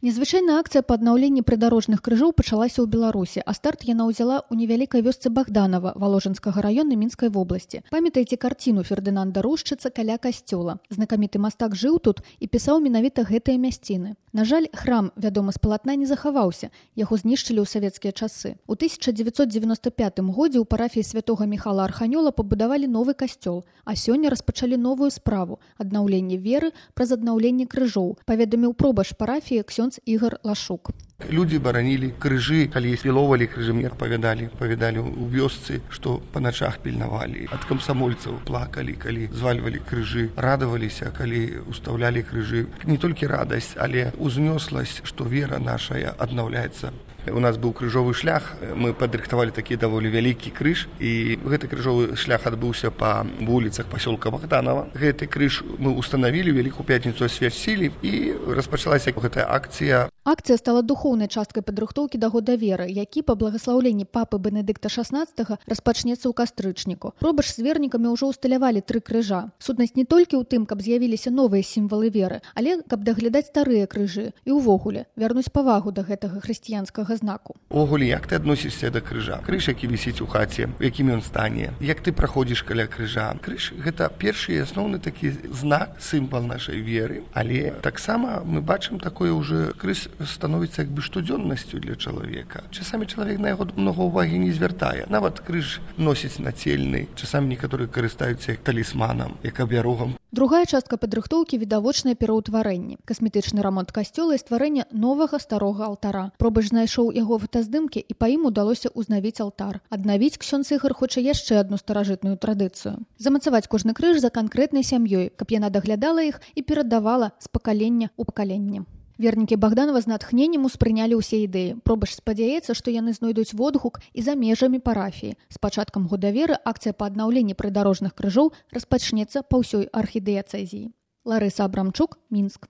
Незвычайная акцыя па аднаўленні прыдарожных крыжоў пачалася ў Беларусі, а старт яна ўзяла ў невялікай вёсцы Богданова Воложенскага раёна Мінскай вобласці. Памятаеце карціну Фердынанда Рушчыца каля касцёла. Знакаміты мастак жыў тут і пісаў менавіта гэтыя мясціны. На жаль, храм, вядомы з палатна, не захаваўся. Яго знішчылі ў савецкія часы. У 1995 годзе ў парафіі святога Міхала Арханёла пабудавалі новы касцёл, а сёння распачалі новую справу – аднаўленне веры праз аднаўленне крыжоў, паведаміў пробашч парафіі ксёндз Ігор Лашук. Людзі баранілі крыжы, калі спіловалі крыжы, мне павядалі ў вёсцы, што па начах пільнавалі. Ад камсамольцаў плакалі, калі звальвалі крыжы, радаваліся, калі устаўлялі крыжы. Не толькі радасць, але узнёсласць, што вера нашая аднаўляецца. У нас быў крыжовы шлях, мы падрыхтавалі такі даволі вялікі крыж, і гэты крыжовы шлях адбыўся па вуліцах пасёлка Богданова. Гэты крыж мы устанавілі, Вялікую пятніцу асвяцілі, і распачалася гэтая акцыя. Акцыя стала духоўнай часткай падрыхтоўкі да года веры, які па благаслаўленні папы Бенедыкта XVI распачнецца ў кастрычніку. Пробач з вернікамі ўжо ўсталявалі 3 крыжа. Сутнасць не толькі ў тым, каб з'явіліся новыя сімвалы веры, але каб даглядаць старыя крыжы і ўвогуле вярнуць павагу да гэтага хрысціянскага знаку. Увогуле, як ты адносішся да крыжа? Крыж, які вісіць у хаце, у якім ён стане, як ты праходзіш каля крыжа. Крыж – гэта першы і асноўны такі знак, сімвал нашай веры, але таксама мы бачым такое ўжо, крыж становіцца як бы штодзённасцю для чалавека. Часамі чалавек на яго многа ўвагі не звяртае. Нават крыж носіць нацельны, часамі некаторыя карыстаюцца як талісманам, як абярогам. Другая частка падрыхтоўкі – відавочнае пераўтварэнне. Касметычны рамонт касцёла і стварэнне новага старога алтара. Пробач знайшоў яго фотаздымкі, і па ім удалося ўзнавіць алтар. Аднавіць ксёндз Ігар хоча яшчэ адну старажытную традыцыю. Замацаваць кожны крыж за канкрэтнай сям'ёй, каб яна даглядала іх і перадавала з пакалення ў пакаленне. Вернікі Богданова з натхненнем успрынялі ўсе ідэі. Пробач спадзяецца, што яны знойдуць водгук і за межамі парафіі. З пачаткам года веры акцыя па аднаўленні прыдарожных крыжоў распачнецца па ўсёй архідыяцэзіі. Ларыса Абрамчук, Мінск.